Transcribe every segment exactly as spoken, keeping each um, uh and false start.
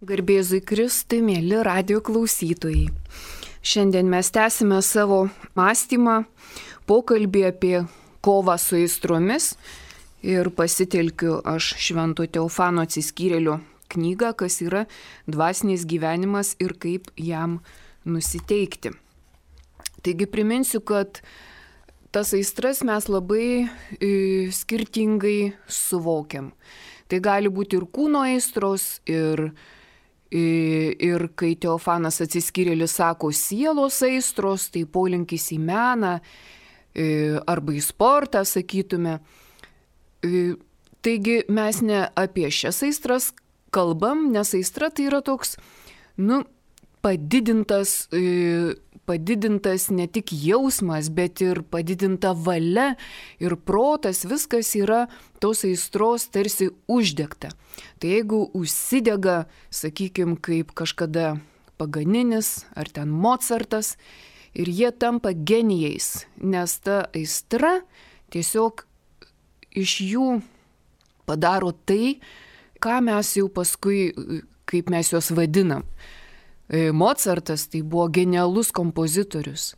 Garbėzui Kristui, mėly radio klausytojai. Šiandien mes tęsime savo mąstymą, pokalbį apie kovą su aistromis ir pasitelkiu aš Švento Teofano Atsiskyrėlio knygą, kas yra dvasinis gyvenimas ir kaip jam nusiteikti. Taigi priminsiu, kad tas aistras mes labai e, skirtingai suvokiam. Tai gali būti ir kūno aistros, ir Ir kai Teofanas Atsiskyrėlis sako sielos aistros, tai polinkis į meną arba į sportą, sakytume. Taigi mes ne apie šias aistras kalbam, nes aistra tai yra toks, nu, padidintas, padidintas ne tik jausmas, bet ir padidinta valia ir protas, viskas yra tos aistros tarsi uždegta. Tai jeigu užsidega, sakykime, kaip kažkada Paganinis ar ten Mozartas, ir jie tampa genijais, nes ta aistra tiesiog iš jų padaro tai, ką mes jau paskui, kaip mes juos vadinam. Mozartas tai buvo genialus kompozitorius,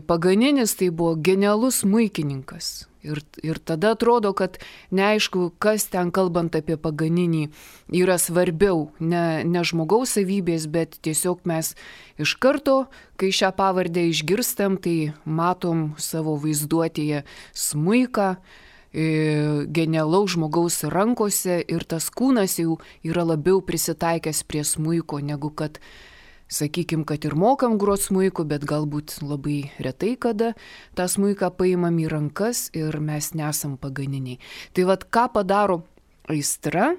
Paganinis tai buvo genialus smuikininkas. Ir, ir tada atrodo, kad neaišku, kas ten kalbant apie Paganinį yra svarbiau, ne, ne žmogaus savybės, bet tiesiog mes iš karto, kai šią pavardę išgirstam, tai matom savo vaizduotėje smuiką, genialaus žmogaus rankose ir tas kūnas jau yra labiau prisitaikęs prie smuiko, negu kad sakykime, kad ir mokam grot smuiku, bet galbūt labai retai kada tą smuiką paimam į rankas ir mes nesam paganiniai. Tai vad, ką padaro aistra?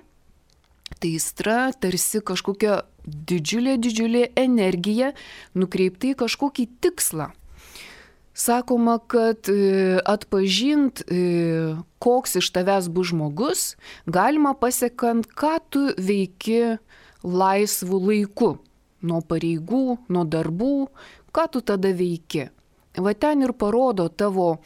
Tai aistra tarsi kažkokia didžiulė, didžiulė energija nukreipta į kažkokį tikslą. Sakoma, kad atpažint, koks iš tavęs bus žmogus, galima pasiekant, ką tu veiki laisvu laiku. Nuo pareigų, nuo darbų, ką tu tada veiki. Va ten ir parodo tavo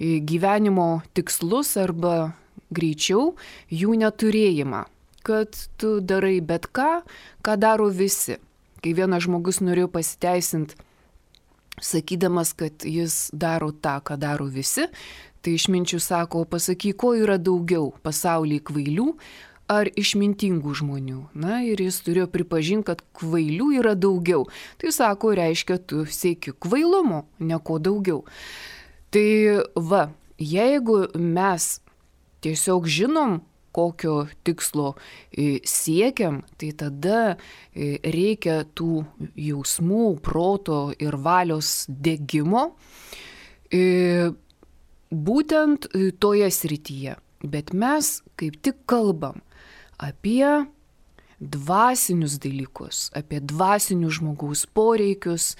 gyvenimo tikslus arba greičiau jų neturėjimą. Kad tu darai bet ką, ką daro visi. Kai vienas žmogus norėjo pasiteisinti, sakydamas, kad jis daro tą, ką daro visi, tai išminčių sako, pasakyk, ko yra daugiau pasaulyje kvailių ar išmintingų žmonių. Na ir jis turėjo pripažinti, kad kvailių yra daugiau. Tai sako, reiškia, tu sieki kvailumo, ne ko daugiau. Tai va, jeigu mes tiesiog žinom, kokio tikslo siekiam, tai tada reikia tų jausmų, proto ir valios degimo būtent toje srityje. Bet mes kaip tik kalbam apie dvasinius dalykus, apie dvasinius žmogaus poreikius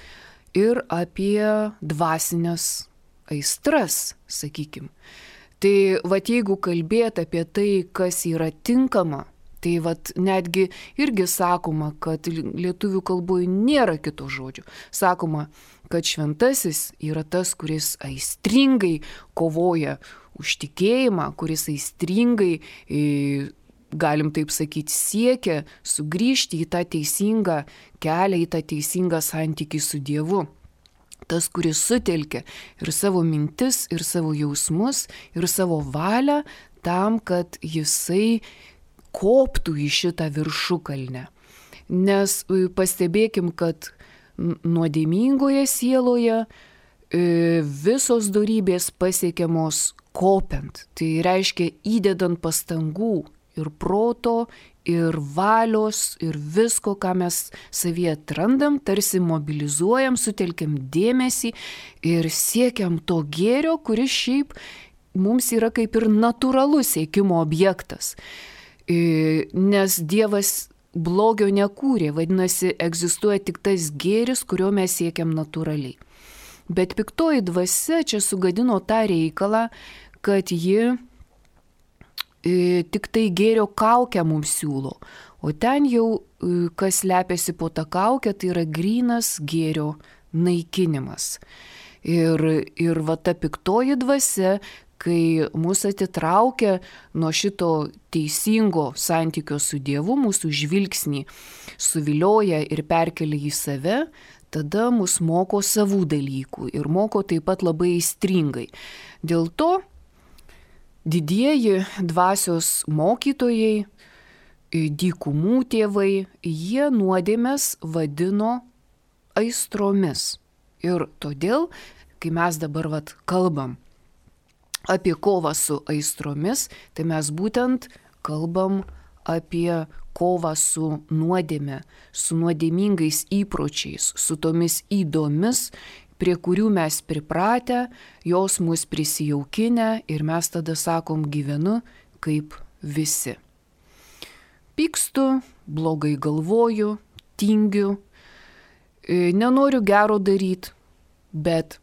ir apie dvasinės aistras, sakykim. Tai vat jeigu kalbėt apie tai, kas yra tinkama, tai vat netgi irgi sakoma, kad lietuvių kalboje nėra kito žodžio. Sakoma, kad šventasis yra tas, kuris aistringai kovoja už tikėjimą, kuris aistringai, galim taip sakyti, siekia sugrįžti į tą teisingą kelią, į tą teisingą santykį su Dievu. Tas, kuris sutelkia ir savo mintis, ir savo jausmus, ir savo valią tam, kad jisai koptų į šitą viršukalnę. Nes pastebėkim, kad nuodėmingoje sieloje visos dorybės pasiekiamos kopiant. Tai reiškia įdedant pastangų ir proto, ir valios, ir visko, ką mes savyje atrandam, tarsi mobilizuojam, sutelkiam dėmesį ir siekiam to gėrio, kuris šiaip mums yra kaip ir natūralus siekimo objektas. Nes Dievas blogio nekūrė, vadinasi, egzistuoja tik tas gėris, kurio mes siekiam natūraliai. Bet piktoji dvasia čia sugadino tą reikalą, kad ji tik tai gėrio kaukę mums siūlo, o ten jau kas slepiasi po tą kaukę, tai yra grynas gėrio naikinimas. Ir, ir va ta piktoji dvasia, kai mus atitraukia nuo šito teisingo santykio su Dievu, mūsų žvilgsnį suvilioja ir perkelia į save, tada mus moko savų dalykų ir moko taip pat labai aistringai. Dėl to didieji dvasios mokytojai, dykumų tėvai, jie nuodėmes vadino aistromis. Ir todėl, kai mes dabar vat kalbam apie kovą su aistromis, tai mes būtent kalbam apie kovą su nuodėme, su nuodėmingais įpročiais, su tomis įdomis, prie kurių mes pripratę, jos mus prisijaukinę ir mes tada sakom gyvenu kaip visi. Pykstu, blogai galvoju, tingiu, nenoriu gero daryti, bet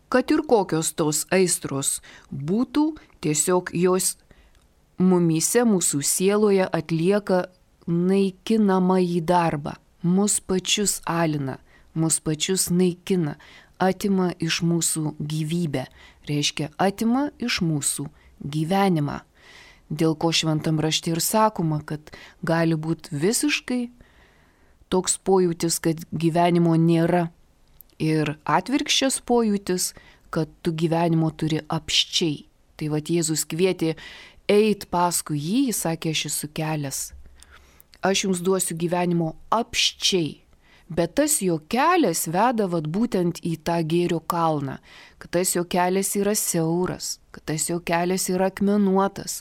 kad ir kokios tos aistros būtų, tiesiog jos mumyse, mūsų sieloje atlieka naikinamąjį darbą, mus pačius alina, mus pačius naikina, atima iš mūsų gyvybę, reiškia atima iš mūsų gyvenimą. Dėl ko šventam rašte ir sakoma, kad gali būti visiškai toks pojūtis, kad gyvenimo nėra. Ir atvirkščias pojūtis, kad tu gyvenimo turi apščiai. Tai vat Jėzus kvietė eit paskui jį, jis sakė, aš esu kelias. Aš jums duosiu gyvenimo apščiai. Bet tas jo kelias veda vat būtent į tą gėrio kalną, kad tas jo kelias yra siauras, kad tas jo kelias yra akmenuotas.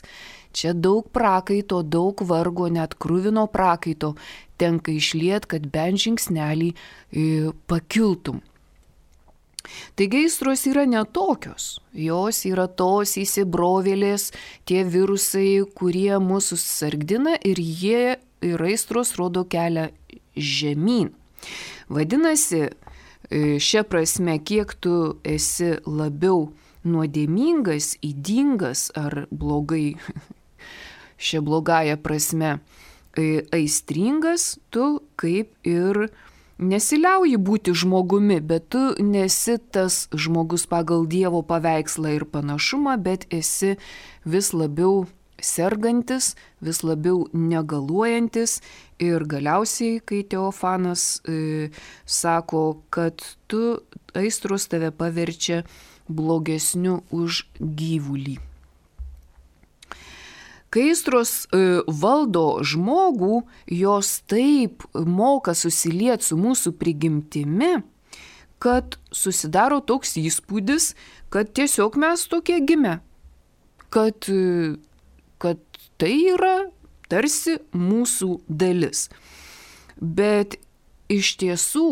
Čia daug prakaito, daug vargo, net kruvino prakaito tenka išliet, kad bent žingsnelį e, pakiltum. Taigi aistros yra netokios, jos yra tos įsibrovėlės, tie virusai, kurie mūsų sargdina ir jie ir aistros rodo kelią žemyn. Vadinasi, šia prasme, kiek tu esi labiau nuodėmingas, ydingas ar blogai, šia blogąja prasme, aistringas, tu kaip ir nesiliauji būti žmogumi, bet tu nesi tas žmogus pagal Dievo paveikslą ir panašumą, bet esi vis labiau sergantis, vis labiau negaluojantis ir galiausiai, kai Teofanas e, sako, kad tu aistros tave paverčia blogesniu už gyvulį. Kai aistros e, valdo žmogų, jos taip moka susilieti su mūsų prigimtimi, kad susidaro toks įspūdis, kad tiesiog mes tokie gimę, kad e, kad tai yra tarsi mūsų dalis. Bet iš tiesų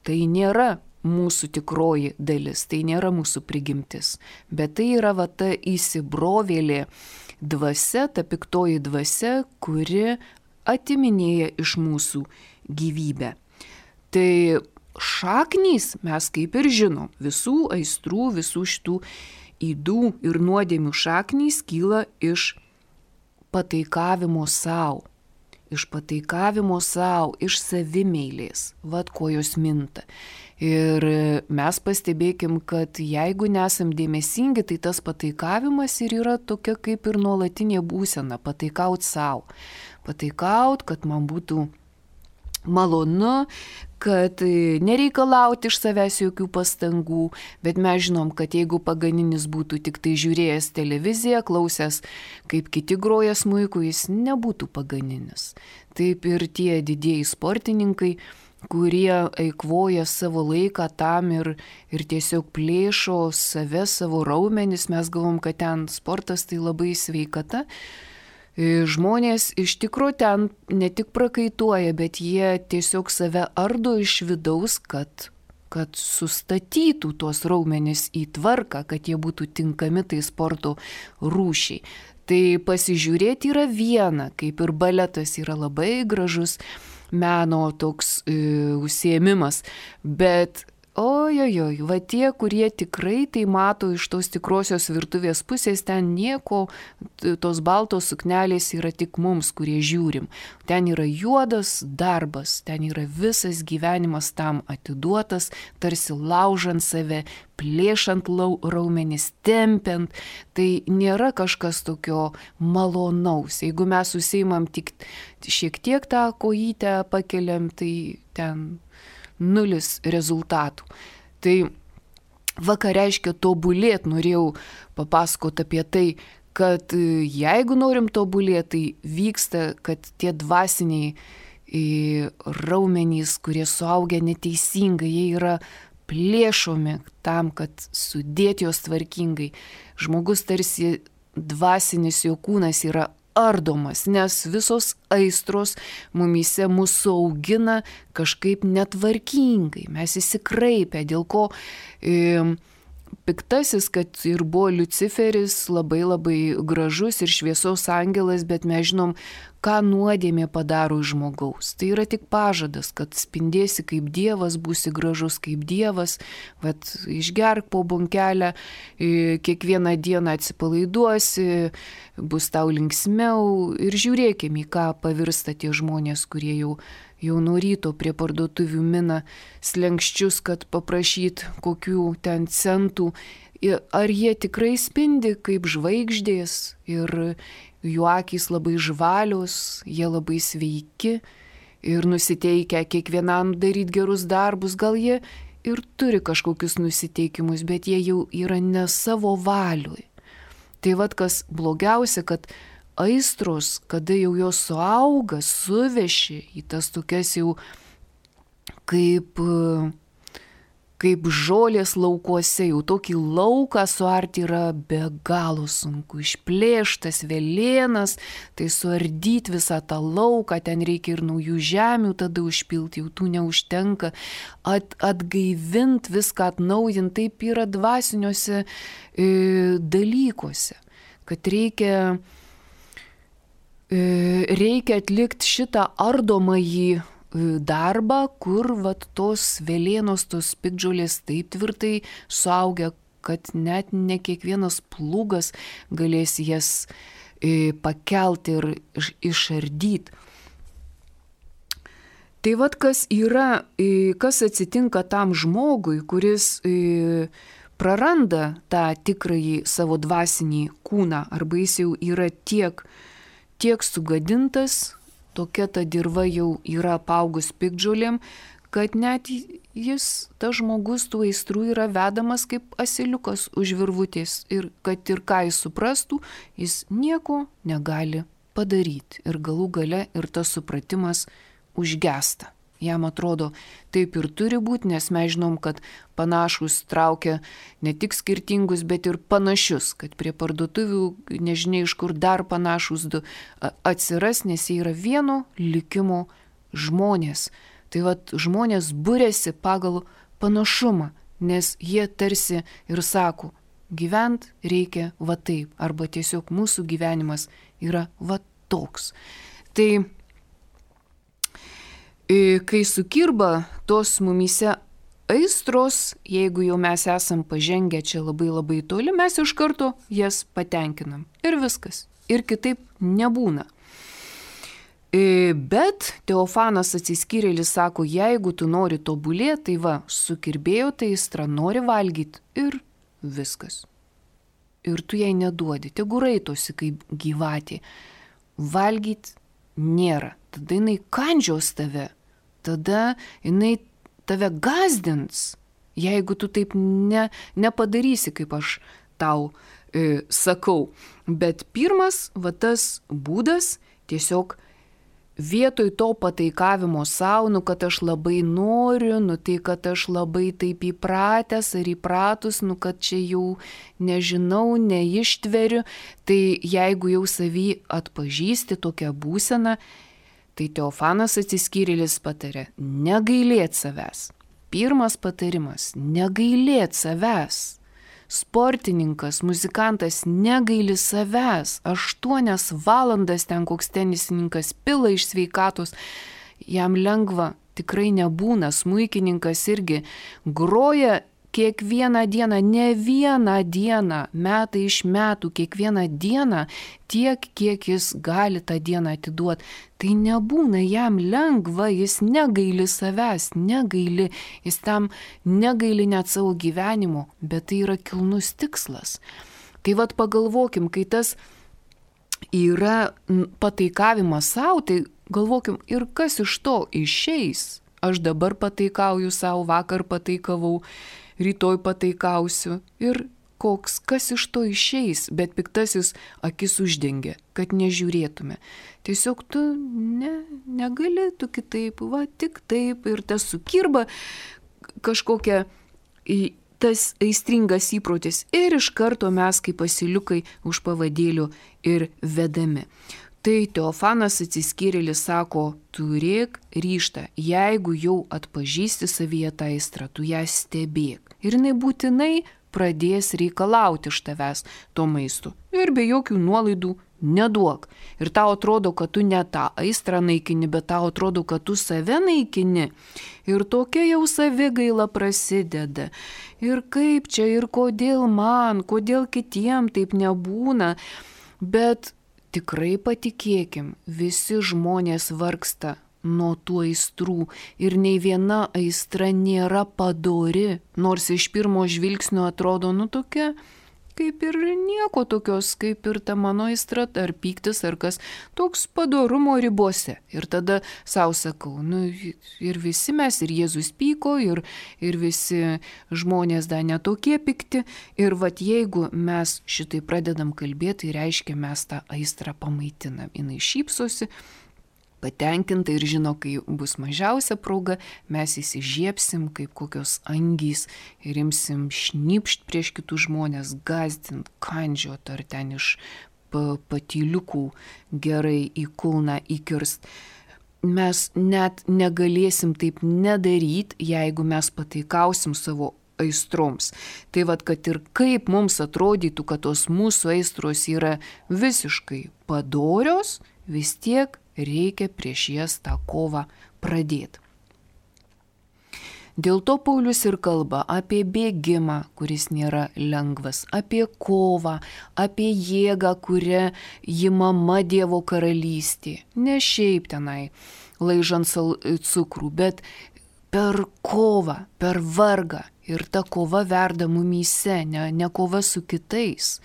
tai nėra mūsų tikroji dalis, tai nėra mūsų prigimtis, bet tai yra va ta įsibrovėlė dvasia, ta piktoji dvasia, kuri atiminėja iš mūsų gyvybę. Tai šaknys mes kaip ir žinom, visų aistrų, visų šitų ydų ir nuodėmių šaknys kyla iš pataikavimo savo, iš pataikavimo savo, iš savimeilės, vad ko jos minta. Ir mes pastebėkim, kad jeigu nesam dėmesingi, tai tas pataikavimas ir yra tokia kaip ir nuolatinė būsena, pataikaut savo, pataikaut, kad man būtų malonu, kad nereikalauti iš savęs jokių pastangų, bet mes žinom, kad jeigu paganinis būtų tik tai žiūrėjęs televiziją, klausęs, kaip kiti groja smuiku, jis nebūtų paganinis. Taip ir tie didieji sportininkai, kurie eikvoja savo laiką tam ir, ir tiesiog plėšo save, savo raumenis, mes galvom, kad ten sportas tai labai sveikata. Žmonės iš tikrųjų ten ne tik prakaituoja, bet jie tiesiog save ardo iš vidaus, kad, kad sustatytų tuos raumenis į tvarką, kad jie būtų tinkami tai sporto rūšiai. Tai pasižiūrėti yra viena, kaip ir baletas yra labai gražus meno toks e, užsiėmimas, bet ojojoj, va tie, kurie tikrai tai mato iš tos tikrosios virtuvės pusės, ten nieko, tos baltos suknelės yra tik mums, kurie žiūrim. Ten yra juodas darbas, ten yra visas gyvenimas tam atiduotas, tarsi laužant save, plėšant raumenis, tempiant. Tai nėra kažkas tokio malonaus. Jeigu mes susiimam tik šiek tiek tą kojytę pakeliam, tai ten nulis rezultatų. Tai va ką reiškia tobulėt, norėjau papasakoti apie tai, kad jeigu norim tobulėti, tai vyksta, kad tie dvasiniai raumenys, kurie suaugia neteisingai, jie yra plėšomi tam, kad sudėti jos tvarkingai. Žmogus tarsi dvasinis jo kūnas yra ardomas, nes visos aistros mumyse mūsų augina kažkaip netvarkingai. Mes įsikraipę, dėl ko e, piktasis, kad ir buvo Liuciferis, labai labai gražus ir šviesos angelas, bet mes žinom, ką nuodėmė padaro iš žmogaus. Tai yra tik pažadas, kad spindėsi kaip Dievas, būsi gražus kaip Dievas, bet išgerk po bunkelę, kiekvieną dieną atsipalaiduosi, bus tau linksmiau ir žiūrėkime, į ką pavirsta tie žmonės, kurie jau, jau nuo ryto prie parduotuvių mina slenkščius, kad paprašyt kokių ten centų. Ar jie tikrai spindi kaip žvaigždės ir jų akys labai žvalios, jie labai sveiki ir nusiteikę kiekvienam daryti gerus darbus, gal jie ir turi kažkokius nusiteikimus, bet jie jau yra ne savo valiui. Tai vad kas blogiausia, kad aistros, kada jau jos suauga, suveši į tas tokias jau kaip... kaip žolės laukuose, jau tokį lauką suarti yra be galo sunku. Išplėštas velėnas, tai suardyti visą tą lauką, ten reikia ir naujų žemių tada užpilti, jau tų neužtenka. At, atgaivint viską, atnaujint, taip yra dvasiniuose e, dalykuose, kad reikia, e, reikia atlikti šitą ardomąjį darbą, kur vat tos velėnos, tos piktžolės taip tvirtai suaugia, kad net ne kiekvienas plūgas galės jas e, pakelti ir išardyti. Tai vat kas yra, e, kas atsitinka tam žmogui, kuris e, praranda tą tikrąjį savo dvasinį kūną, arba jis jau yra tiek, tiek sugadintas, tokia ta dirva jau yra apaugus piktžolėm, kad net jis, tas žmogus, tų aistrų yra vedamas kaip asiliukas už virvutės ir kad ir ką jis suprastų, jis nieko negali padaryti. Ir galų gale ir tas supratimas užgesta. Jam atrodo, taip ir turi būti, nes mes žinom, kad panašus traukia ne tik skirtingus, bet ir panašius, kad prie parduotuvių nežinia iš kur dar panašus du atsiras, nes jie yra vieno likimo žmonės. Tai vat žmonės būrėsi pagal panašumą, nes jie tarsi ir sako, gyvent reikia va taip, arba tiesiog mūsų gyvenimas yra va toks. Tai kai sukirba tos mumyse aistros, jeigu jau mes esam pažengę čia labai labai toli, mes iš karto jas patenkinam. Ir viskas. Ir kitaip nebūna. Bet Teofanas Atsiskyrėlis sako, jeigu tu nori tobulėti, tai va, sukirbėjo tai aistra, nori valgyti ir viskas. Ir tu jai neduodi, tegu raitosi kaip gyvatė. Valgyti nėra. Tada jinai kandžios tave. Tada jinai tave gazdins, jeigu tu taip ne, nepadarysi, kaip aš tau e, sakau. Bet pirmas, va tas būdas, tiesiog vietoj to pataikavimo savo, nu kad aš labai noriu, nu tai kad aš labai taip įpratęs ar įpratus, nu kad čia jau nežinau, neištveriu, tai jeigu jau savy atpažįsti tokią būseną, tai Teofanas Atsiskyrėlis patarė, negailėt savęs. Pirmas patarimas, negailėt savęs. Sportininkas, muzikantas negaili savęs. Aštuonias valandas ten koks tenisininkas pila iš sveikatos, jam lengva tikrai nebūna. Smuikininkas irgi groja kiekvieną dieną, ne vieną dieną, metai iš metų, kiekvieną dieną tiek, kiek jis gali tą dieną atiduoti. Tai nebūna jam lengva, jis negaili savęs, negaili, jis tam negaili net savo gyvenimo, bet tai yra kilnus tikslas. Tai vad pagalvokim, kai tas yra pataikavimas savo, tai galvokim, ir kas iš to išeis. Aš dabar pataikauju savo, vakar pataikavau, rytoj pataikausiu ir koks, kas iš to išeis, bet piktasis akis uždengia, kad nežiūrėtume. Tiesiog tu ne, negali, tu kitaip, va tik taip ir tas sukirba kažkokia tas aistringas įprotis ir iš karto mes kaip asiliukai už pavadėlių ir vedami. Tai Teofanas atsiskyrėlis sako, turėk ryžtą, jeigu jau atpažįsti savyje tą aistrą, tu ją stebėk. Ir jinai būtinai pradės reikalauti iš tavęs to maisto. Ir be jokių nuolaidų neduok. Ir tau atrodo, kad tu ne tą aistrą naikini, bet tau atrodo, kad tu save naikini. Ir tokia jau savigaila prasideda. Ir kaip čia, ir kodėl man, kodėl kitiem taip nebūna. Bet tikrai patikėkim, visi žmonės vargsta nuo tų aistrų ir nei viena aistra nėra padori, nors iš pirmo žvilgsnio atrodo, nu tokia, kaip ir nieko tokios, kaip ir ta mano aistra, ar pyktis, ar kas, toks padorumo ribose. Ir tada savo sakau, nu ir visi mes, ir Jėzus pyko, ir, ir visi žmonės dar netokie pikti. Ir vat jeigu mes šitai pradedam kalbėti, tai reiškia mes tą aistrą pamaitinam. Jinai šypsosi, patenkinta ir žino, kai bus mažiausia proga, mes įsižiebsim kaip kokios angys ir imsim šnypšt prieš kitus žmonės, gazdint, kandžiot ar ten iš patyliukų gerai į kulną įkirst. Mes net negalėsim taip nedaryti, jeigu mes pataikausim savo aistroms. Tai vad, kad ir kaip mums atrodytų, kad tos mūsų aistros yra visiškai padorios, vis tiek reikia prieš jas tą kovą pradėti. Dėl to Paulius ir kalba apie bėgimą, kuris nėra lengvas, apie kovą, apie jėgą, kurią imama Dievo karalystė. Ne šiaip tenai laižant cukrų, bet per kovą, per vargą. Ir ta kova verda mumyse, ne, ne kova su kitais.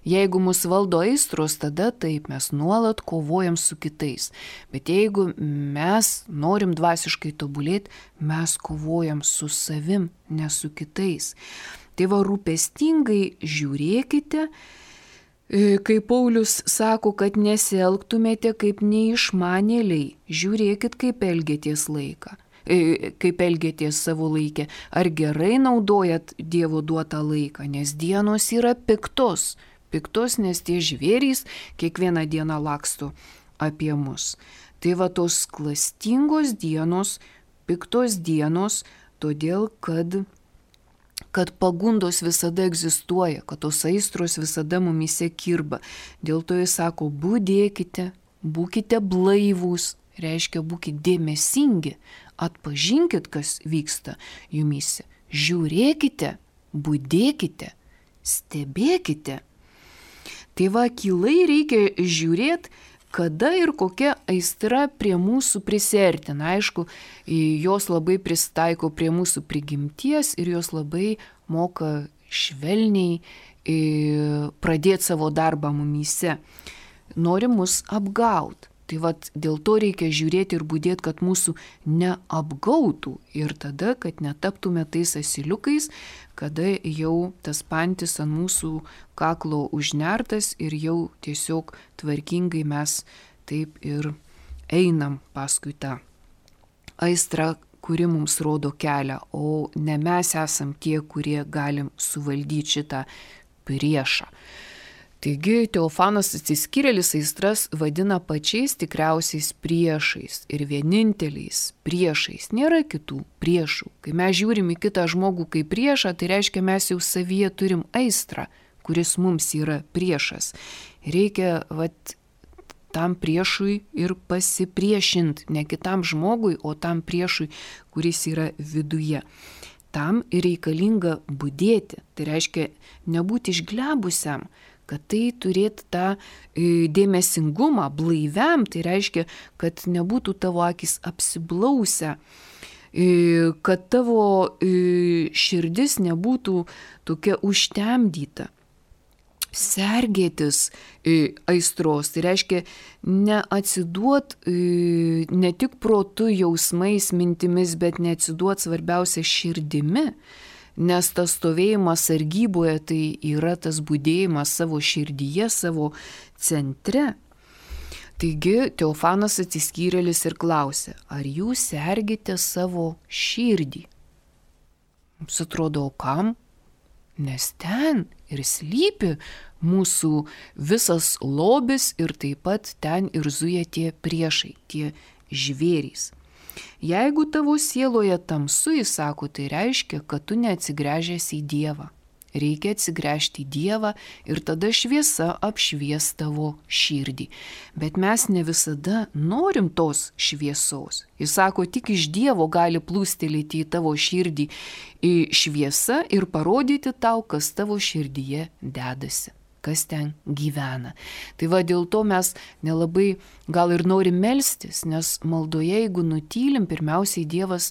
Jeigu mus valdo aistros, tada taip, mes nuolat kovojam su kitais. Bet jeigu mes norim dvasiškai tobulėti, mes kovojam su savim, ne su kitais. Tai va, rūpestingai žiūrėkite, kai Paulius sako, kad nesielgtumėte kaip neišmanėliai, žiūrėkit, kaip elgėties laiką. kaip elgėties savo laikę, ar gerai naudojat Dievo duotą laiką, nes dienos yra piktos, piktos, nes tie žvėrys kiekvieną dieną laksto apie mus. Tai va tos klastingos dienos, piktos dienos, todėl kad, kad pagundos visada egzistuoja, kad tos aistros visada mumyse kirba. Dėl to jis sako, budėkite, būkite blaivūs, reiškia būkite dėmesingi, atpažinkit, kas vyksta jumyse, žiūrėkite, budėkite, stebėkite. Tai va, akylai reikia žiūrėti, kada ir kokia aistra prie mūsų prisiartina. Aišku, jos labai prisitaiko prie mūsų prigimties ir jos labai moka švelniai pradėti savo darbą mumyse. Nori mus apgauti. Tai vat, dėl to reikia žiūrėti ir budėti, kad mūsų neapgautų ir tada, kad netaptume tais asiliukais, kada jau tas pantis ant mūsų kaklo užnertas ir jau tiesiog tvarkingai mes taip ir einam paskui tą aistrą, kuri mums rodo kelią, o ne mes esam tie, kurie galim suvaldyti šitą priešą. Taigi Teofanas atsiskyrėlis aistras vadina pačiais tikriausiais priešais ir vieninteliais priešais. Nėra kitų priešų. Kai mes žiūrim į kitą žmogų kaip priešą, tai reiškia mes jau savyje turim aistrą, kuris mums yra priešas. Reikia vat, tam priešui ir pasipriešinti, ne kitam žmogui, o tam priešui, kuris yra viduje. Tam ir reikalinga budėti, tai reiškia nebūti išglebusiam, kad tai turėtų tą dėmesingumą blaiviam, tai reiškia, kad nebūtų tavo akis apsiblausę, kad tavo širdis nebūtų tokia užtemdyta. Sergėtis aistros, tai reiškia neatsiduot ne tik protu, jausmais, mintimis, bet neatsiduot svarbiausia širdimi. Nes tas stovėjimas sargyboje tai yra tas budėjimas savo širdyje, savo centre. Taigi Teofanas atsiskyrėlis ir klausė, ar jūs sergite savo širdį? Mums atrodo, o kam? Nes ten ir slypi mūsų visas lobis ir taip pat ten ir zuja tie priešai, tie žvėrys. Jeigu tavo sieloje tamsu, jis sako, tai reiškia, kad tu neatsigręžęs į Dievą. Reikia atsigręžti į Dievą ir tada šviesa apšvies tavo širdį. Bet mes ne visada norim tos šviesos. Jis sako, tik iš Dievo gali plūstelėti į tavo širdį į šviesą ir parodyti tau, kas tavo širdyje dedasi, kas ten gyvena. Tai va dėl to mes nelabai gal ir norim melstis, nes maldoje, jeigu nutylim, pirmiausiai Dievas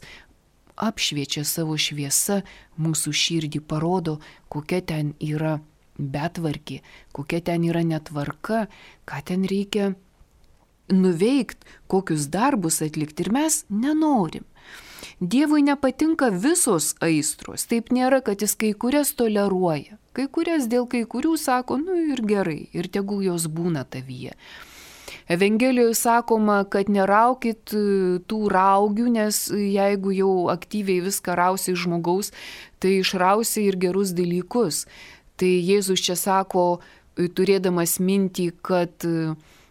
apšviečia savo šviesą mūsų širdį, parodo, kokia ten yra betvarkė, kokia ten yra netvarka, ką ten reikia nuveikti, kokius darbus atlikti ir mes nenorim. Dievui nepatinka visos aistros, taip nėra, kad jis kai kurias toleruoja, kai kurias dėl kai kurių sako, nu ir gerai, ir tegul jos būna tavyje. Evangelijoje sakoma, kad neraukit tų raugių, nes jeigu jau aktyviai viską rausi iš žmogaus, tai išrausi ir gerus dalykus. Tai Jėzus čia sako, turėdamas mintį, kad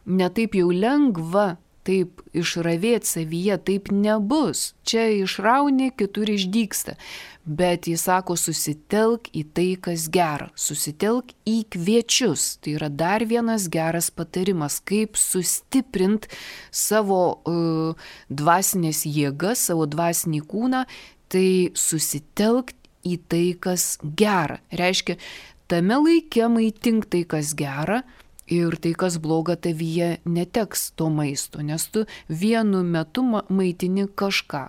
netaip jau lengva taip išravėti savyje, taip nebus. Čia išrauni, kitur išdygsta. Bet jis sako, susitelk į tai, kas gera. Susitelk į kviečius. Tai yra dar vienas geras patarimas, kaip sustiprinti savo uh, dvasinės jėgas, savo dvasinį kūną. Tai susitelk į tai, kas gera. Reiškia, tame laike maitink tai, kas gera. Ir tai, kas bloga tavyje, neteks to maisto, nes tu vienu metu maitini kažką.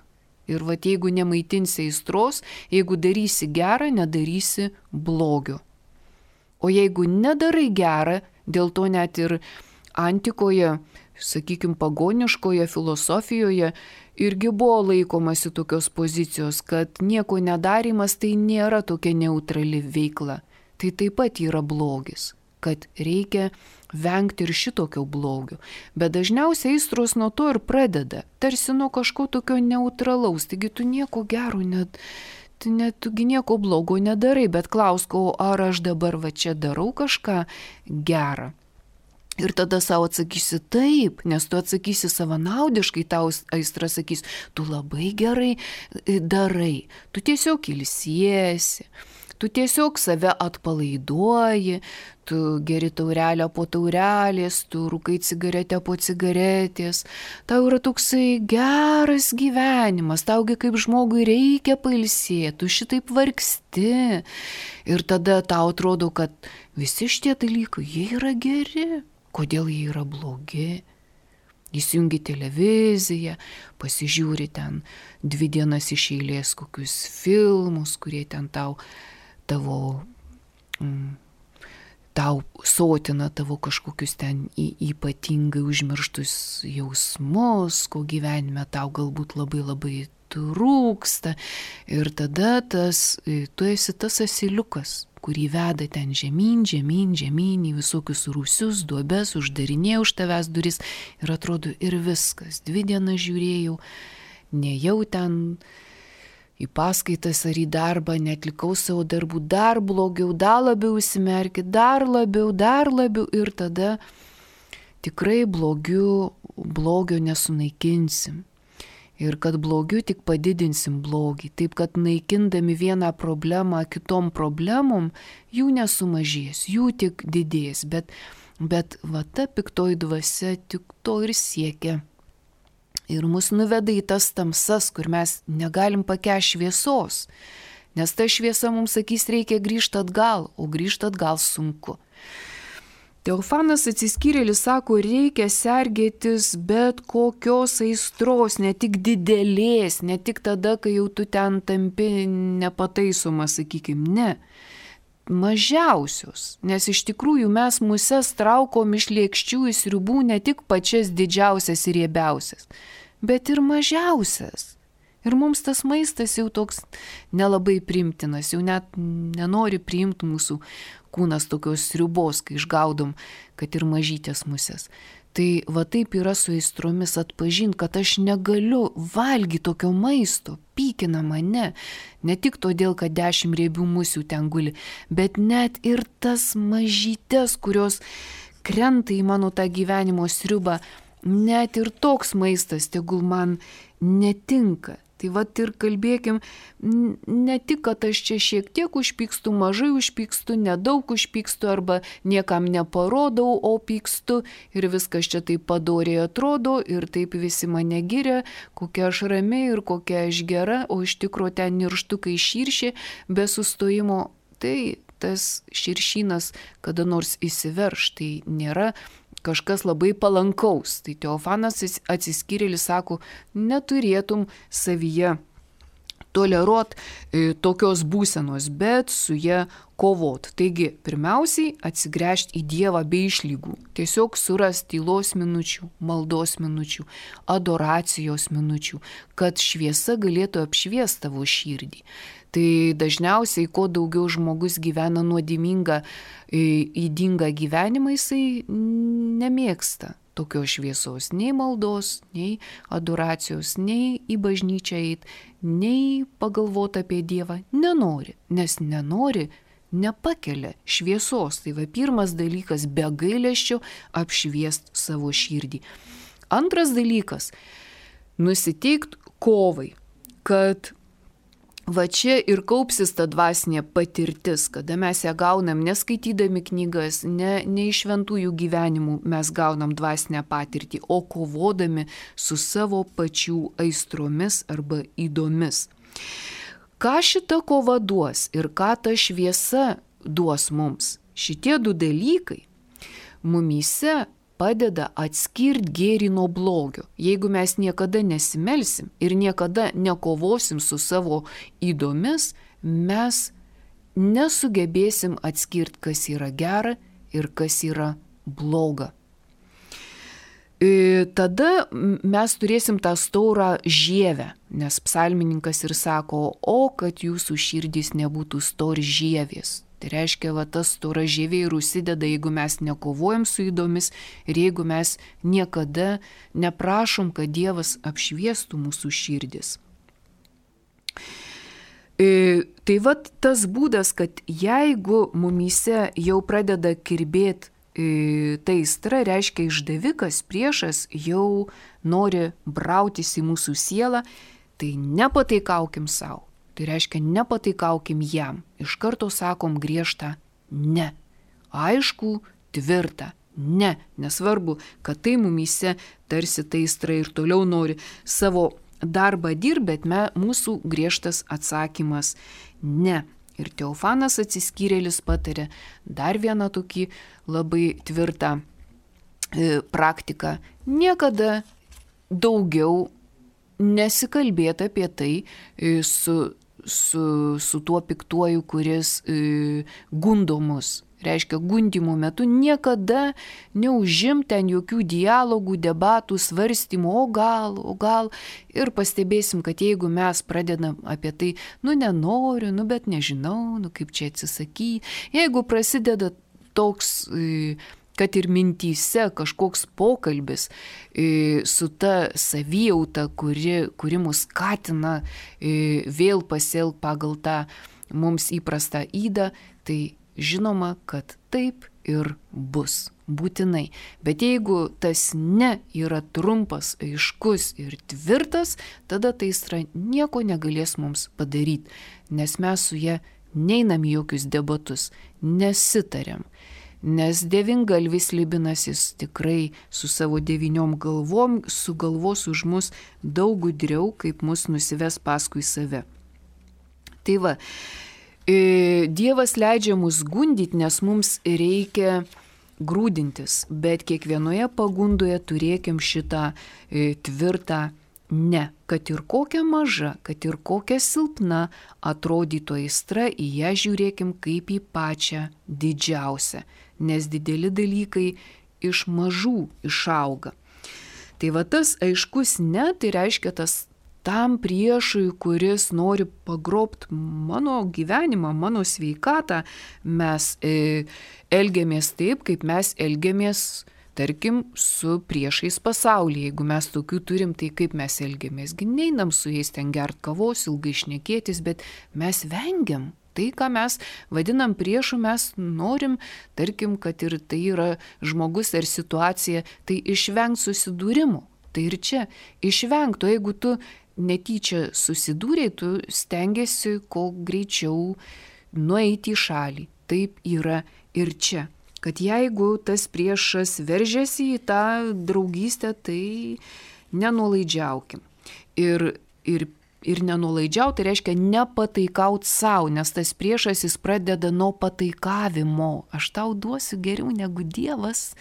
Ir va, jeigu nemaitinsi aistros, jeigu darysi gerą, nedarysi blogio. O jeigu nedarai gerą, dėl to net ir antikoje, sakykime, pagoniškoje filosofijoje irgi buvo laikomasi tokios pozicijos, kad nieko nedarimas tai nėra tokia neutrali veikla. Tai taip pat yra blogis, kad reikia vengti ir šitokio blogio. Bet dažniausiai aistros nuo to ir pradeda, tarsi nuo kažko tokio neutralaus. Taigi tu nieko gero, net, net tugi nieko blogo nedarai, bet klausk, o ar aš dabar va čia darau kažką gerą? Ir tada savo atsakysi taip, nes tu atsakysi savanaudiškai, tau aistra sakys, tu labai gerai darai, tu tiesiog ilsiesi. Tu tiesiog save atpalaiduoji, tu geri taurelę po taurelės, tu rūkai cigaretę po cigaretės, tau yra toksai geras gyvenimas, taugi kaip žmogui reikia pailsėti, tu šitaip vargsti. Ir tada tau atrodo, kad visi šitie dalykai, jie yra geri, kodėl jie yra blogi. Įsijungi televiziją, pasižiūri ten dvi dienas iš eilės kokius filmus, kurie ten tau tavo, mm, tau sotina tavo kažkokius ten į, ypatingai užmirštus jausmus, ko gyvenime tau galbūt labai labai trūksta. Ir tada tas, tu esi tas asiliukas, kurį veda ten žemyn, žemyn, žemyn į visokius rūsius, duobes, uždarinė už tavęs duris. Ir atrodo ir viskas. Dvi dienas žiūrėjau, nejau ten į paskaitas ar į darbą, netlikau savo darbų, dar blogiau, dar labiau įsimerki, dar labiau, dar labiau ir tada tikrai blogiu, blogio nesunaikinsim. Ir kad blogiu tik padidinsim blogį, taip kad naikindami vieną problemą kitom problemom, jų nesumažės, jų tik didės, bet Bet va ta piktoji dvasia tik to ir siekia. Ir mus nuveda į tas tamsas, kur mes negalim pakęsti šviesos. Nes ta šviesa mums sakys, reikia grįžti atgal, o grįžti atgal sunku. Teofanas Atsiskyrėlis sako, reikia sergėtis bet kokios aistros, ne tik didelės, ne tik tada, kai jau tu ten tampi nepataisomas, sakykim, ne. Mažiausios, nes iš tikrųjų mes muses traukom iš lėkščių į sriubų ne tik pačias didžiausias ir riebiausias, bet ir mažiausias. Ir mums tas maistas jau toks nelabai priimtinas, jau net nenori priimti mūsų kūnas tokios sriubos, kai išgaudom, kad ir mažytės musės. Tai va taip yra su aistromis, atpažint, kad aš negaliu valgyti tokio maisto, pykina mane, ne tik todėl, kad dešimt riebių musių ten guli, bet net ir tas mažytės, kurios krenta į mano tą gyvenimo sriubą, net ir toks maistas tegul man netinka. Tai vat ir kalbėkim, ne tik, kad aš čia šiek tiek užpykstu, mažai užpykstu, nedaug užpykstu arba niekam neparodau, o pykstu ir viskas čia taip padoriai atrodo ir taip visi mane giria, kokia aš rami ir kokia aš gera, o iš tikro ten nirštukai širšė be sustojimo. Tai tas širšynas kada nors įsiverš, tai nėra kažkas labai palankaus. Tai Teofanas Atsiskyrėlis sako, neturėtum savyje toleruot e, tokios būsenos, bet su ja kovot. Taigi, pirmiausiai atsigręžti į Dievą be išlygų. Tiesiog surasti tylos minučių, maldos minučių, adoracijos minučių, kad šviesa galėtų apšviesti tavo širdį. Tai dažniausiai, kuo daugiau žmogus gyvena nuodėmingą, ydingą gyvenimą, jisai nemėgsta tokios šviesos, nei maldos, nei adoracijos, nei į bažnyčią eit, nei pagalvoti apie Dievą. Nenori, nes nenori, nepakelia šviesos. Tai va pirmas dalykas, be gailesčio apšviest savo širdį. Antras dalykas, nusiteikt kovai, kad va čia ir kaupsis ta dvasinė patirtis, kada mes ją gaunam neskaitydami knygas, ne, ne iš šventųjų gyvenimų mes gaunam dvasinę patirtį, o kovodami su savo pačių aistromis arba įdomis. Ką šita kova duos ir ką ta šviesa duos mums? Šitie du dalykai mumyse padeda atskirti gėrį nuo blogio. Jeigu mes niekada nesimelsim ir niekada nekovosim su savo įdomis, mes nesugebėsim atskirti, kas yra gera ir kas yra bloga. Tada mes turėsim tą staurą žievę, nes psalmininkas ir sako, o kad jūsų širdys nebūtų stori žievės. Tai reiškia, va tas stora žievė ir užsideda, jeigu mes nekovojam su įdomis ir jeigu mes niekada neprašom, kad Dievas apšviestų mūsų širdis. E, tai va tas būdas, kad jeigu mumyse jau pradeda kirbėti e, ta aistra, reiškia išdavikas, priešas jau nori brautis į mūsų sielą, tai nepataikaukim savo. Tai reiškia, nepataikaukim jam. Iš karto sakom griežtą ne. Aišku, tvirtą ne. Nesvarbu, kad tai mumyse tarsi ta aistra ir toliau nori savo darbą dirbti, bet me, mūsų griežtas atsakymas ne. Ir Teofanas Atsiskyrėlis patarė dar vieną tokį labai tvirtą e, praktiką. Niekada daugiau nesikalbėti apie tai e, su Su, su tuo piktuoju, kuris e, gundo mus. Reiškia, gundimo metu niekada neužim ten jokių dialogų, debatų, svarstymų, o gal, o gal. Ir pastebėsim, kad jeigu mes pradedam apie tai, nu nenoriu, nu bet nežinau, nu kaip čia atsisakyti. Jeigu prasideda toks e, kad ir mintyse kažkoks pokalbis e, su ta savijauta, kuri, kuri mus skatina e, vėl pasielgti pagal tą mums įprastą ydą, tai žinoma, kad taip ir bus. Būtinai. Bet jeigu tas ne yra trumpas, aiškus ir tvirtas, tada ta aistra nieko negalės mums padaryti, nes mes su ja neinam į jokius debatus, nesitariam. nes devyngalvis slibinas jis tikrai su savo devyniom galvom sugalvos už mus daug gudriau, kaip mus nusives paskui save. Tai va, Dievas leidžia mus gundyti, nes mums reikia grūdintis, bet kiekvienoje pagundoje turėkim šitą e, tvirtą ne, kad ir kokia maža, kad ir kokia silpna atrodytų aistra, į ją žiūrėkim kaip į pačią didžiausią, nes dideli dalykai iš mažų išauga. Tai va tas aiškus ne, tai reiškia tas tam priešui, kuris nori pagrobt mano gyvenimą, mano sveikatą, mes e, elgiamės taip, kaip mes elgiamės, tarkim, su priešais pasaulyje. Jeigu mes tokių turim, tai kaip mes elgiamės? Gi neinam su jais ten gert kavos, ilgai šnekėtis, bet mes vengiam. Tai, ką mes vadinam priešu, mes norim, tarkim, kad ir tai yra žmogus ar situacija, tai išvengt susidūrimų. Tai ir čia išvengt, o jeigu tu netyčia susidūrei, tu stengiasi kuo greičiau nueiti į šalį. Taip yra ir čia. Kad jeigu tas priešas veržiasi į tą draugystę, tai nenuolaidžiaukim. Ir, ir, ir nenuolaidžiauti tai reiškia nepataikaut savo, nes tas priešas jis pradeda nuo pataikavimo. Aš tau duosiu geriau negu Dievas.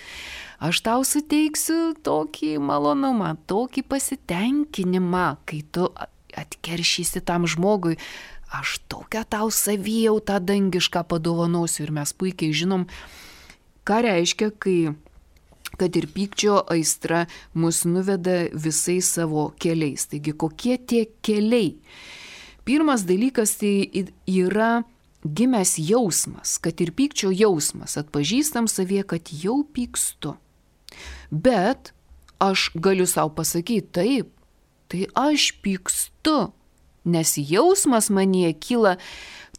Aš tau suteiksiu tokį malonumą, tokį pasitenkinimą, kai tu atkeršysi tam žmogui. Aš tokią tau savijautą dangišką padovanosiu. Ir mes puikiai žinom, ką reiškia, kai, kad ir pykčio aistra mus nuveda visais savo keliais. Taigi, kokie tie keliai? Pirmas dalykas tai yra gimęs jausmas, kad ir pykčio jausmas. Atpažįstam savyje, kad jau pykstu. Bet aš galiu savo pasakyti taip, tai aš pykstu, nes jausmas manyje kyla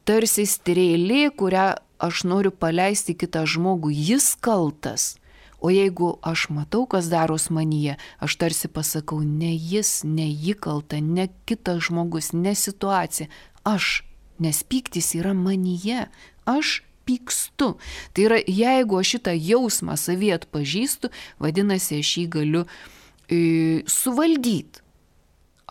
tarsi strėlė, kurią aš noriu paleisti kitą žmogų, jis kaltas. O jeigu aš matau, kas daros manyje, aš tarsi pasakau, ne jis, ne ji kalta, ne kitas žmogus, ne situacija. Aš, nes pyktis yra manyje, aš pykstu. Tai yra, jeigu aš šitą jausmą savyje atpažįstu, vadinasi, aš jį galiu e, suvaldyti.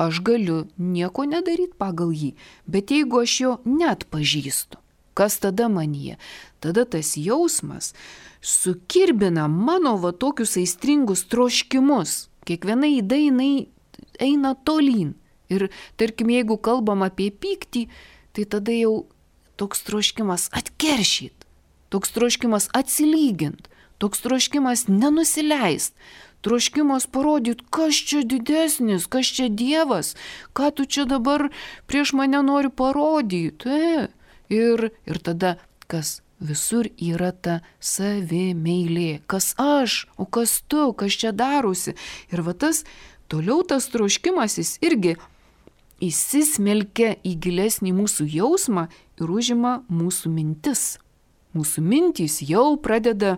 Aš galiu nieko nedaryti pagal jį, bet jeigu aš jo neatpažįstu, kas tada manyje? Tada tas jausmas sukirbina mano va tokius aistringus troškimus. Kiekviena įda jinai eina tolyn. Ir tarkim, jeigu kalbam apie pyktį, tai tada jau toks troškimas atkeršyt, toks troškimas atsilygint, toks troškimas nenusileist, troškimas parodyti, kas čia didesnis, kas čia Dievas, ką tu čia dabar prieš mane nori parodyti. E. Ir, ir tada, kas visur yra ta savimeilė, kas aš, o kas tu, kas čia darosi. Ir va tas, toliau tas troškimas jis irgi įsismelkia į gilesnį mūsų jausmą ir užima mūsų mintis. Mūsų mintys jau pradeda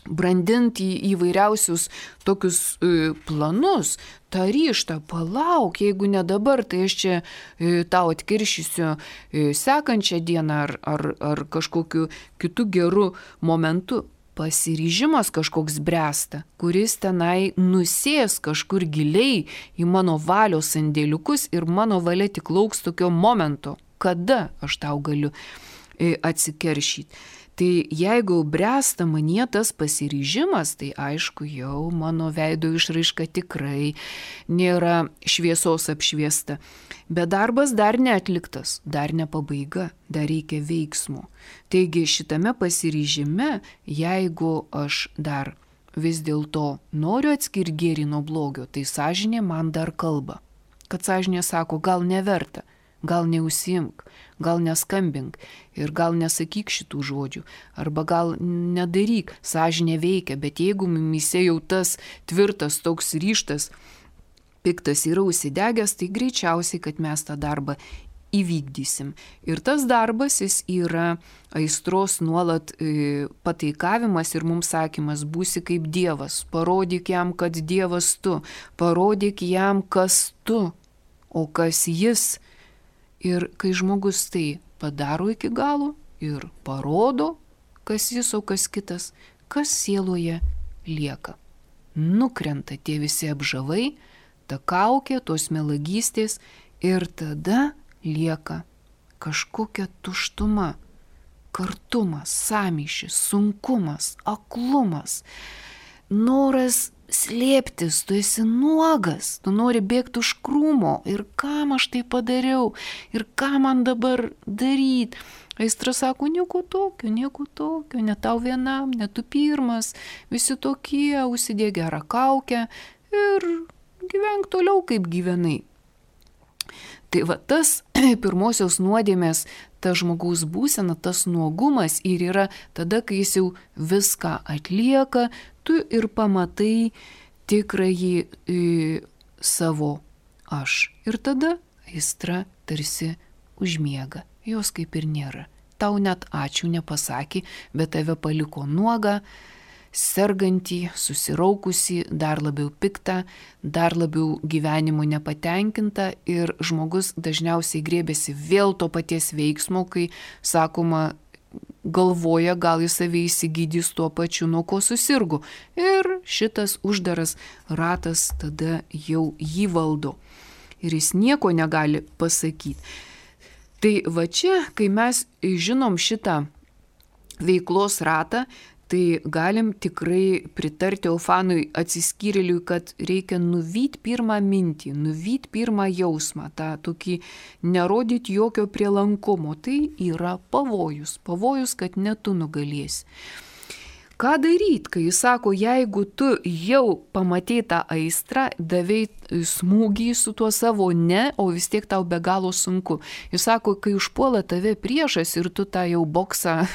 brandinti įvairiausius tokius e, planus, tą ryžtą, palauk, jeigu ne dabar, tai aš čia e, tau atkiršysiu e, sekančią dieną ar, ar, ar kažkokiu kitu geru momentu. Pasiryžimas kažkoks bręsta, kuris tenai nusės kažkur giliai į mano valios sandėliukus ir mano valia tik lauks tokio momento, kada aš tau galiu e, atsikeršyti. Tai jeigu bręsta manyje tas pasiryžimas, tai aišku, jau mano veido išraiška tikrai nėra šviesos apšviesta. Bet darbas dar neatliktas, dar ne pabaiga, dar reikia veiksmų. Taigi šitame pasiryžime, jeigu aš dar vis dėlto noriu atskirti gėrį nuo blogio, tai sąžinė man dar kalba. Kad sąžinė sako, gal neverta. Gal neužsiimk, gal neskambink ir gal nesakyk šitų žodžių, arba gal nedaryk, sąžinė veikia, bet jeigu mumyse jau tas tvirtas toks ryžtas, piktas yra užsidegęs, tai greičiausiai, kad mes tą darbą įvykdysim. Ir tas darbas jis yra aistros nuolat e, pataikavimas ir mums sakymas, būsi kaip Dievas, parodyk jam, kad Dievas tu, parodyk jam, kas tu, o kas jis. Ir kai žmogus tai padaro iki galo ir parodo, kas jis, o kas kitas, kas sieloje lieka. Nukrenta tie visi apžavai, ta kaukė, tos melagystės ir tada lieka kažkokia tuštuma, kartumas, sąmyšis, sunkumas, aklumas, noras slėptis, tu esi nuogas, tu nori bėgti už krūmo ir kam aš tai padariau ir ką man dabar daryti. Aistra sako, nieko tokio, nieko tokio, ne tau vienam, ne tu pirmas, visi tokie, užsidėk gerą kaukę ir gyvenk toliau, kaip gyvenai. Tai va tas pirmosios nuodėmės, ta žmogaus būsena, tas nuogumas ir yra tada, kai jis jau viską atlieka, tu ir pamatai tikrąjį e, savo aš. Ir tada aistra tarsi užmiega, jos kaip ir nėra. Tau net ačiū nepasakė, bet tave paliko nuogą, sergantį, susiraukusį, dar labiau piktą, dar labiau gyvenimu nepatenkinta ir žmogus dažniausiai grėbėsi vėl to paties veiksmo, kai sakoma, galvoja, gal jis save įsigydys tuo pačiu, nuo ko susirgo. Ir šitas uždaras ratas tada jau jį valdo. Ir jis nieko negali pasakyti. Tai va čia, kai mes žinom šitą veiklos ratą, tai galim tikrai pritarti Teofanui atsiskyrėliui, kad reikia nuvyti pirmą mintį, nuvyti pirmą jausmą, tą tokį nerodyti jokio prielankumo. Tai yra pavojus, pavojus, kad ne tu nugalėsi. Ką daryti, kai jis sako, jeigu tu jau pamatei tą aistrą, davei smūgį su tuo savo ne, o vis tiek tau be galo sunku. Jis sako, kai užpuola tave priešas ir tu tą jau boksą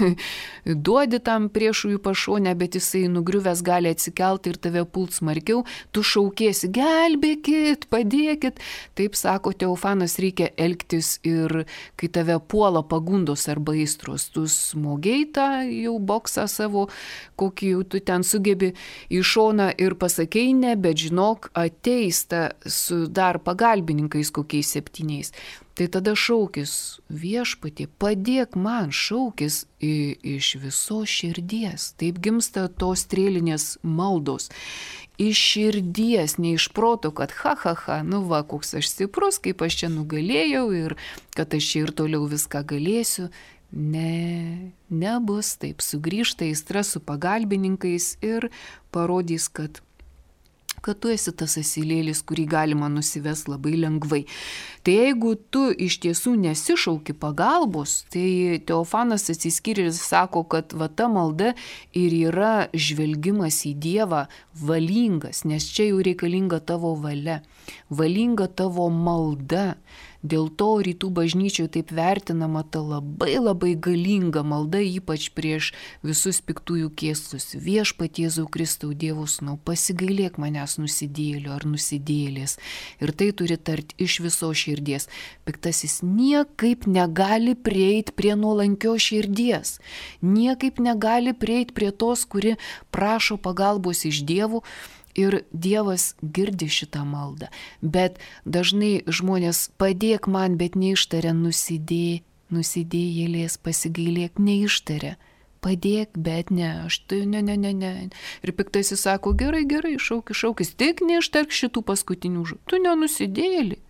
duodi tam priešui pašonę, bet jisai nugriuvęs gali atsikelti ir tave pult smarkiau, tu šaukėsi, gelbėkit, padėkit. Taip sako Teofanas, reikia elgtis ir kai tave puola pagundos arba aistros, tu smogei tą jau boksą savo, kokį jau tu ten sugebi į šoną ir pasakei ne, bet žinok, ateis ta su dar pagalbininkais kokiais septyniais. Tai tada šaukis, viešpatie, padėk man, šaukis iš visos širdies. Taip gimsta tos strėlinės maldos. Iš širdies, ne iš proto, kad ha, ha, ha, nu va, koks aš stiprus, kaip aš čia nugalėjau ir kad aš čia ir toliau viską galėsiu. Ne, nebus taip, sugrįžta aistra su pagalbininkais ir parodys, kad, kad tu esi tas asilėlis, kurį galima nusivest labai lengvai. Tai jeigu tu iš tiesų nesišauki pagalbos, tai Teofanas atsiskyrėlis sako, kad va ta malda ir yra žvelgimas į Dievą valingas, nes čia jau reikalinga tavo valia, valinga tavo malda. Dėl to rytų bažnyčioje taip vertinama ta labai labai galinga malda, ypač prieš visus piktųjų kėslus. Viešpatie Jėzau Kristau, Dievo sūnau, pasigailėk manęs nusidėjėlio ar nusidėjėlės. Ir tai turi tarti iš visos širdies. Piktasis niekaip negali prieiti prie nuolankios širdies. Niekaip negali prieiti prie tos, kuri prašo pagalbos iš Dievo. Ir Dievas girdi šitą maldą. Bet dažnai žmonės padėk man, bet neištaria nusidėj, nusidėjėlės, pasigailėk, neištaria. Padėk, bet ne, aš tai ne, ne, ne, ne. Ir piktasis sako, gerai, gerai, šaukis, šaukis, tik neištark šitų paskutinių žodžių. Tu nenusidėjėlį.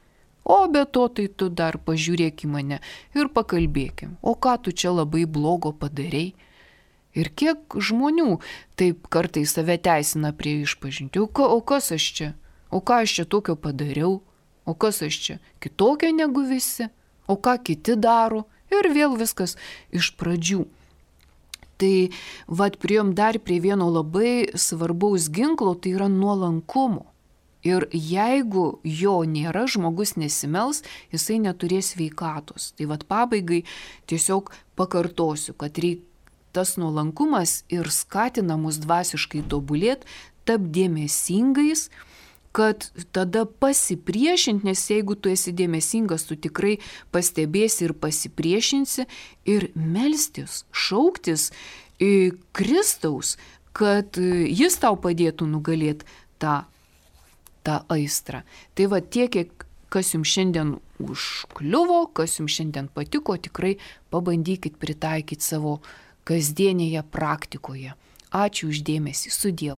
O be to, tai tu dar pažiūrėk į mane ir pakalbėkim. O ką tu čia labai blogo padarei? Ir kiek žmonių taip kartais save teisina prie išpažinti. O, ka, o kas aš čia? O ką aš čia tokio padariau? O kas aš čia? Kitokia negu visi? O ką kiti daro? Ir vėl viskas iš pradžių. Tai vat priėjom dar prie vieno labai svarbaus ginklo, tai yra nuolankumo. Ir jeigu jo nėra, žmogus nesimels, jisai neturės sveikatos. Tai vat pabaigai tiesiog pakartosiu, kad reikia tas nuolankumas ir skatina mus dvasiškai tobulėti, tap dėmesingais, kad tada pasipriešinti, nes jeigu tu esi dėmesingas, tu tikrai pastebėsi ir pasipriešinsi ir melstis, šauktis į Kristaus, kad jis tau padėtų nugalėti tą, tą aistrą. Tai va tiek, kiek kas jums šiandien užkliuvo, kas jums šiandien patiko, tikrai pabandykit pritaikyti savo kasdienėje praktikoje. Ačiū uždėmesį, sudie.